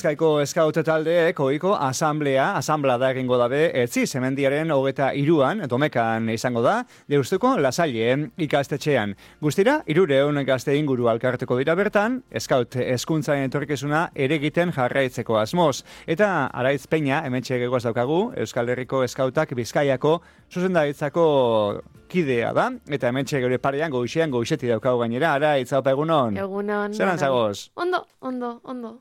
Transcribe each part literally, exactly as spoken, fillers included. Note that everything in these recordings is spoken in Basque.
Bizkaiko eskaut taldeek ohiko asamblea, asamblada egingo dabe, etzi zemendiaren hogeta iruan, domekan izango da, Deustuko Lasailen ikastetxean. Guztira, irureun gazte inguru alkarteko dira bertan, eskaut hezkuntzaren etorkizuna ere egiten jarraitzeko asmoz. Eta Araitz Peña, hementxe gegoaz daukagu, Euskal Herriko eskautak Bizkaiako zuzendaritzako kidea da, eta hementxe gure parean goixean goixeti daukagu gainera. Araitz, haupa egunon? Egunon. Zeran zagoz? Ondo, ondo, ondo.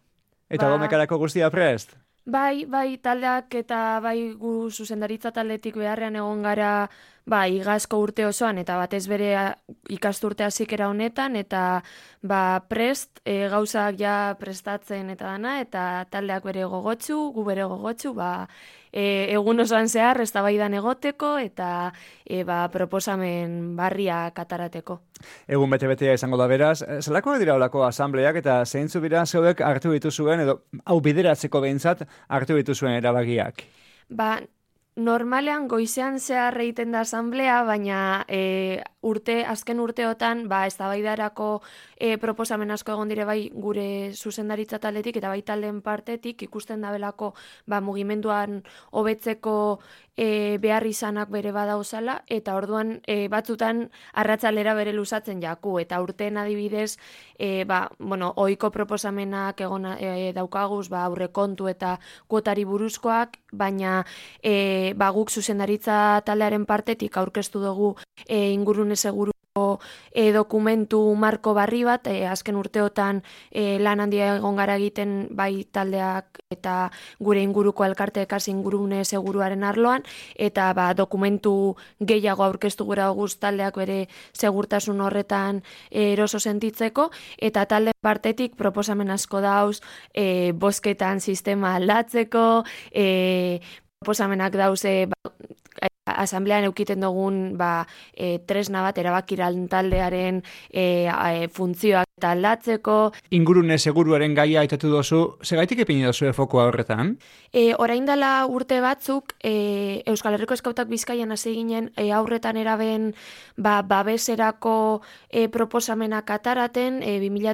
Eta ba, domekarako guztia prest? Bai, bai, taldeak eta bai gu zuzendaritza taldetik beharrean egon gara ba, igazko urte osoan, eta batez bere ikasturte hasikera honetan, eta ba, prest, e, gauzak ja prestatzen eta dana, eta taldeak bere gogotsu, gu bere gogotsu, ba, e, egun osoan zehar, eztabaidan egoteko, eta e, ba, proposamen barria katarateko. Egun bete-betea izango da beraz, zelako dira olako asambleak eta zeintzu bira zeuek hartu dituzuen, edo hau bideratzeko behintzat hartu dituzuen erabagiak? Ba, normalean goizean zehar egiten da asamblea, baina e, urte, azken urteotan, ba, eztabaidarako e, proposamen asko egon dire bai gure zuzendaritza taldetik eta bai taldeen partetik ikusten dabelako ba, mugimenduan hobetzeko e, behar izanak bere badauzala, eta orduan e, batzutan arratzalera bere luzatzen jaku, eta urteen adibidez, e, ba, bueno, ohiko proposamenak egon e, daukaguz, ba, aurrekontu eta kuotari buruzkoak, baina e, ba, guk zuzendaritza taldearen partetik aurkeztu dugu e, ingurune seguru E, dokumentu marko barri bat, e, azken urteotan e, lan handia egon gara egiten bai taldeak eta gure inguruko elkarteekaz ingurune seguruaren arloan, eta ba, dokumentu gehiago aurkeztu gura guz taldeak bere segurtasun horretan e, eroso sentitzeko, eta talde partetik proposamen asko dauz, e, bozketan sistema aldatzeko, e, proposamenak dauze ba, asamblean eukiten dugun ba, e, tresna bat erabakiran taldearen e, e, funtzioak eta aldatzeko. Ingurune seguruaren gaia aitatu dozu, segaitik epini dozu fokoa horretan? E, orain dela urte batzuk, e, Euskal Herriko Eskautak Bizkaian hasi ginen e, aurretan eraben ba, babeserako e, proposamenak ataraten, e, bi mila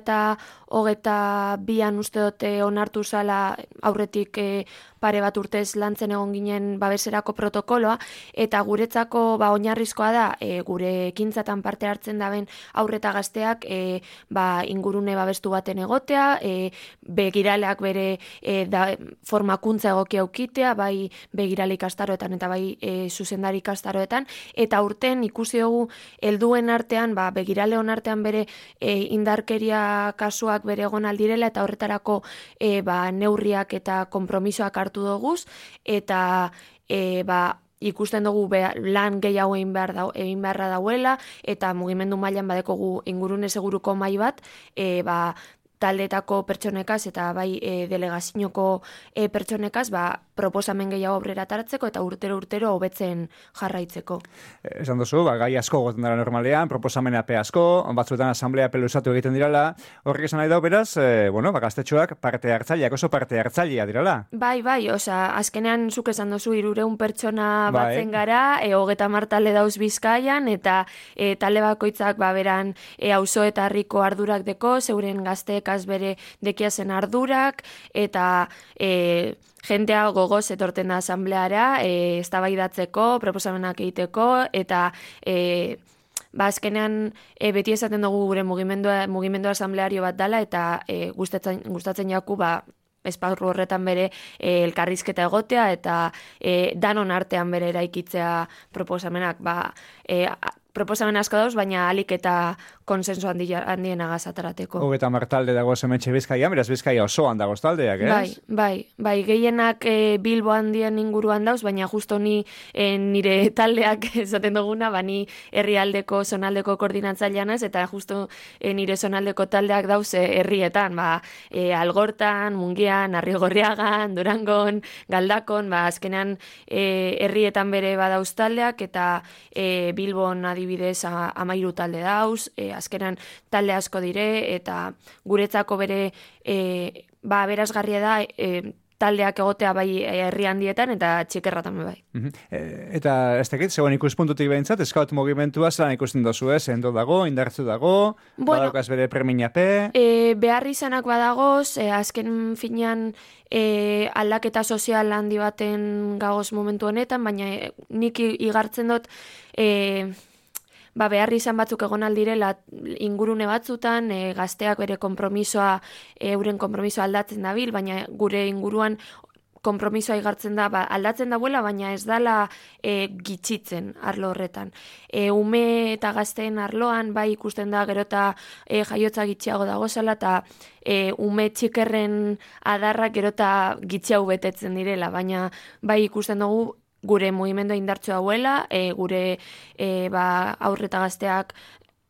hogeita bian uste dute onartu zala aurretik e, pare bat urtez lantzen egon ginen babeserako protokoloa, eta guretzako ba, oinarrizkoa da e, gure ekintzatan parte hartzen daben aurreta gazteak e, ba, ingurune babestu baten egotea, e, begiraleak bere e, da, formakuntza egokia aukitea, bai begirale ikastaroetan eta bai e, zuzendari ikastaroetan, eta urten ikusi dugu helduen artean, ba, begirale on artean bere e, indarkeria kasuak bere egon aldirela, eta horretarako e, ba, neurriak eta konpromisoak hartu doguz, eta e, ba, ikusten dugu be, lan gehiago egin behar da, egin beharra dauela, eta mugimendu mailan badekogu ingurune seguruko mai bat, e, ba, taldeetako pertsonekaz eta bai e, delegazinoko e, pertsonekaz ba, proposamen gehiago aurrera tartzeko eta urtero-urtero hobetzen jarraitzeko. Esan duzu, ba, gai asko goten dara normalean, proposamena pe asko, batzuetan asamblea peluzatu egiten dirala, horrek esan nahi dau beraz, e, bueno, ba, gaztetxoak parte hartzaileak, oso parte hartzailea dirala. Bai, bai, osea, azkenean zuk esan duzu hirureun pertsona bai. batzen gara, e, hogeta hamar talde dauz Bizkaian, eta e, talde bakoitzak ba, beran e, auzo eta herriko ardurak deko, zeuren gazteek bere dekiazen ardurak, eta e, jentea gogoz etorten da asambleara, e, eztabaidatzeko, proposamenak egiteko, eta e, ba, azkenean e, beti esaten dugu gure mugimendua, mugimendu asambleario bat dala, eta e, gustatzen, gustatzen jaku, ba, esparru horretan bere e, elkarrizketa egotea, eta e, danon artean bere eraikitzea proposamenak, ba, e, proposamen asko dauz, baina alik eta konsensu handien agazaterateko. Hogeta martalde dago zemetxe Bizkaia, beraz Bizkaia osoan dagoz taldeak, ez? Bai, bai, bai, gehienak e, Bilbo handien inguruan dauz, baina justo ni e, nire taldeak esaten duguna, bani herrialdeko, zonaldeko koordinatzailean ez, eta justo e, nire zonaldeko taldeak dauz e, herrietan, ba, e, Algortan, Mungian, Arrigorriagan, Durangon, Galdakon, ba, azkenean e, herrietan bere badauz taldeak, eta e, Bilbon adibidez amairu talde dauz, e, azkenan talde asko dire, eta guretzako bere e, ba, berazgarria da e, taldeak egotea bai herri handietan eta txikerratan bai. Uh-huh. E, eta ez dakit, zegoen ikuspuntutik behintzat, eskaut mugimentua zelan ikusten dozu, ez? Endo dago, indartzu dago, bueno, badaukaz bere preminape? E, behar izanak badagoz, e, azken finean e, aldaketa sozial handi baten gagoz momentu honetan, baina e, nik igartzen dut e, ba, behar izan batzuk egon aldirela ingurune batzutan, e, gazteak bere konpromisoa, e, euren konpromisoa aldatzen dabil, baina gure inguruan konpromisoa igartzen da, ba, aldatzen dagoela, baina ez dala e, gitxitzen arlo horretan. E, ume eta gazteen arloan, bai ikusten da gerota e, jaiotza gitxiago dagozala, eta e, ume txikerren adarrak gerota gitxiago betetzen direla, baina bai ikusten dugu gure mugimendua indartsu hauela, e, gure e, ba, aurreta gazteak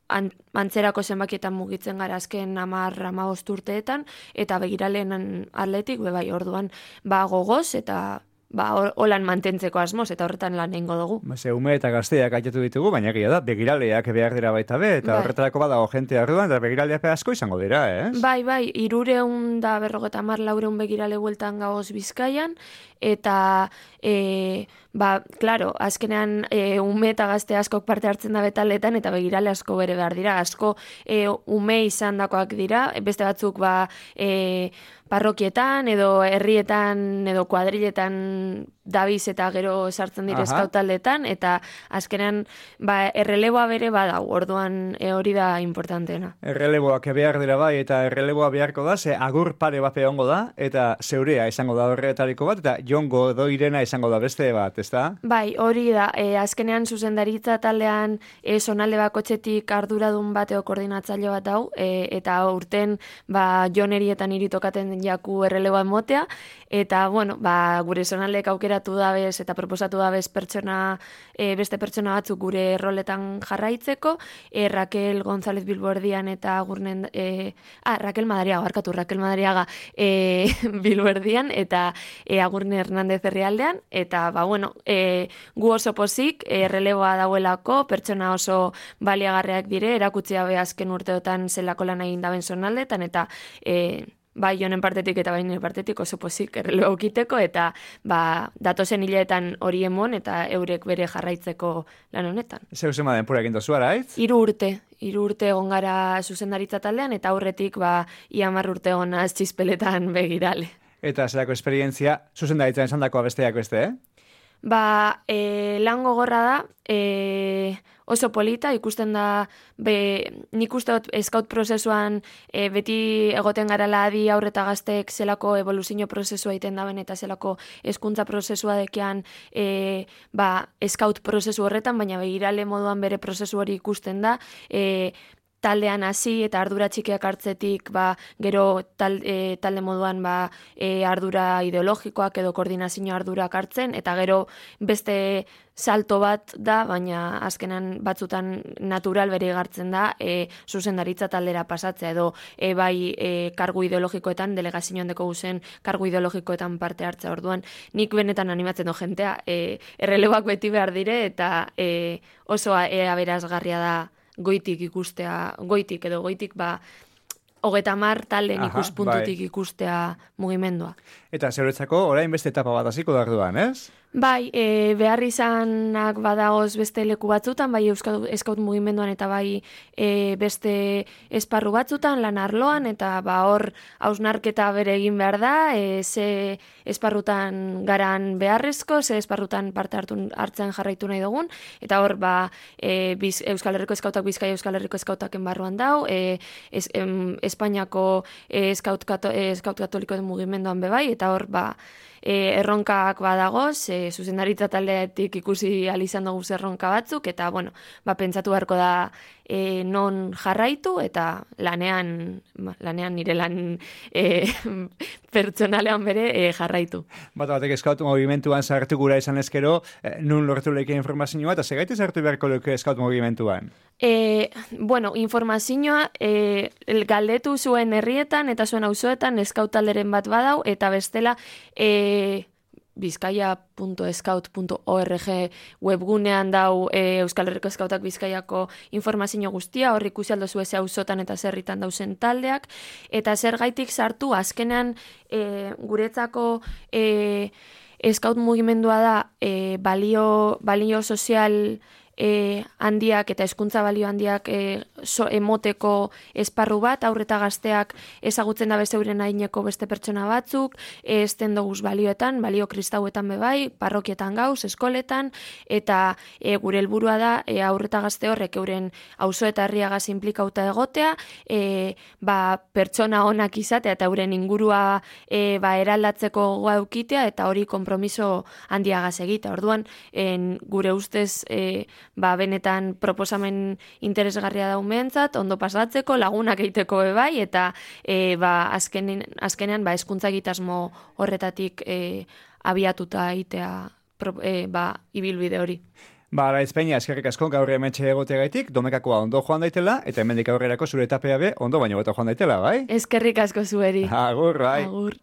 an, antzerako zenbakietan mugitzen gara azken hamar hamabost urteetan, eta begiraleen atletik, be bai, orduan ba, gogoz, eta ba, holan mantentzeko asmoz, eta horretan lan egingo dugu. Ze ume eta gazteak aitetu ditugu, baina egia da, begiraleak behar dira baita be, eta bai, horretarako badago jente arduan, eta begiraleak asko izango dira, ez? Bai, bai, irureun da berrogeta mar laureun begirale bueltan gagoz Bizkaian, eta e, ba, klaro, azkenean e, ume eta gazte askok parte hartzen da betaletan, eta begirale asko bere behar dira, asko e, ume izan dakoak dira, beste batzuk ba, e, parrokietan edo herrietan edo kuadriletan dabiz eta gero sartzen dire eskautaldetan, eta azkenean ba, erreleboa bere badau, orduan e, hori da importanteena. Erreleboak behar dira bai, eta erreleboa beharko da, ze agur pare bat egongo da, eta zeurea izango da horretariko bat, eta jongo doirena izango da beste bat, ez da? Bai, hori da, e, azkenean zuzendaritza taldean e, zonalde bakotxetik arduradun bateo koordinatzaile bat hau, e, eta urten ba, jonerietan iritokaten jaku erreleboa emotea, eta bueno, ba, gure zonaldeek aukeratu dabez eta proposatu dabez pertsona, e, beste pertsona batzuk gure roletan jarraitzeko, e, Raquel González Bilboerdian eta Agurnen, e, ah, Raquel Madariaga, barkatu, Raquel Madariaga e, Bilboerdian eta e, Agurne Hernández Herrialdean, eta ba, bueno, e, gu oso pozik, erreleboa dauelako, pertsona oso baliagarreak dire, erakutsi gabe azken urteotan zelako lan egin daben zonaldetan, eta e, bai honen partetik eta bai nire partetik oso pozik erreleboa ukiteko, eta ba, datozen hileetan hori emon, eta eurek bere jarraitzeko lan honetan. Zeu zema denpura egin dozu araitz? Hiru urte. Hiru urte egon gara zuzendaritza taldean, eta aurretik ba, ia hamar urte egon txispeletan begirale. Eta zerako esperientzia zuzendaritzan esan dakoa besteak beste, eh? Ba, e, lan gogorra da, e, oso polita, ikusten da, be, nik uste dut eskaut prozesuan e, beti egoten garala adi aurreta gazteek zelako evoluzio prozesua egiten daben eta zelako hezkuntza prozesua dekean e, ba, eskaut prozesu horretan, baina begirale moduan bere prozesu hori ikusten da, e, taldean hasi eta ardura txikiak hartzetik ba, gero tal, e, talde moduan ba, e, ardura ideologikoak edo koordinazio ardurak hartzen, eta gero beste salto bat da, baina azkenan batzutan natural bere gartzen da e, zuzendaritza taldera pasatzea edo e, bai e, kargu ideologikoetan, delegazioan deko guzen kargu ideologikoetan parte hartzea. Orduan, nik benetan animatzen do jentea, e, erreleboak beti behar dire eta e, oso e, aberazgarria da goitik ikustea, goitik edo goitik ba, hogeta mar talen ikuspuntutik bai, ikustea mugimendua. Eta zeuretzako orain beste etapa bat hasiko da orduan, ez? Bai, e, behar izanak badagoz beste leku batzutan, bai Euskal Eskaut mugimenduan eta bai e, beste esparru batzutan, lan arloan, eta ba hor hausnarketa bere egin behar da, e, ze esparrutan garan beharrezko, ze esparrutan parte hartu, hartzen jarraitu nahi dugun, eta hor ba e, biz, Euskal Herriko Eskautak Bizkaia Euskal Herriko Eskautaken barruan dau, e, es, em, Espainiako e, Eskaut, kato, e, Eskaut Katoliko mugimenduan bebai, eta hor ba E, erronkak badagoz, e, zuzendaritza taldeetik ikusi alizan dugu erronka batzuk, eta bueno, ba, pentsatu beharko da e, non jarraitu, eta lanean, lanean nire lan e, pertsonalean bere e, jarraitu. Bata batek Eskaut mugimenduan sartu gura izan ezkero, e, nun lortu lehike informazioa, eta segaite sartu beharko lehike Eskaut mugimenduan? E, bueno, informazioa e, galdetu zuen herrietan eta zuen auzoetan Eskaut talderen bat badau, eta bestela e, bizkaia puntu scout puntu org webgunean dau e, Euskal Herriko Eskautak Bizkaiako informazio guztia, hor ikusi aldozu eze auzotan eta zerritan dauzen taldeak, eta zergaitik sartu azkenean e, guretzako e, eskaut mugimendua da e, balio, balio sozial E, handiak eta hezkuntza balio handiak e, so, emoteko esparru bat, aurreta gazteak ezagutzen da bezeuren aineko beste pertsona batzuk, e, esten doguz balioetan, balio kristauetan bebai, parrokietan gauz, eskoletan, eta e, gure helburua da e, aurreta gazte horrek euren auzo eta herriagaz implikauta egotea, e, ba, pertsona onak izatea eta euren ingurua e, ba, eraldatzeko gogoa eukitea eta hori konpromiso handiagaz egitea. Orduan, en, gure ustez e, ba, benetan proposamen interesgarria daumentzat, ondo pasatzeko, lagunak egiteko bai, eta e, ba, azkenean, azkenean ba, hezkuntza egitasmo horretatik e, abiatuta egitea e, ba, ibilbide hori. Ba, Araitz Peña, eskerrik asko gaur hementxe egoteagaitik, Domekakoa ondo joan daitela, eta hemendik aurrerako zure etapea be ondo baino beto joan daitela, bai? Eskerrik asko zueri. Agur, bai. Agur.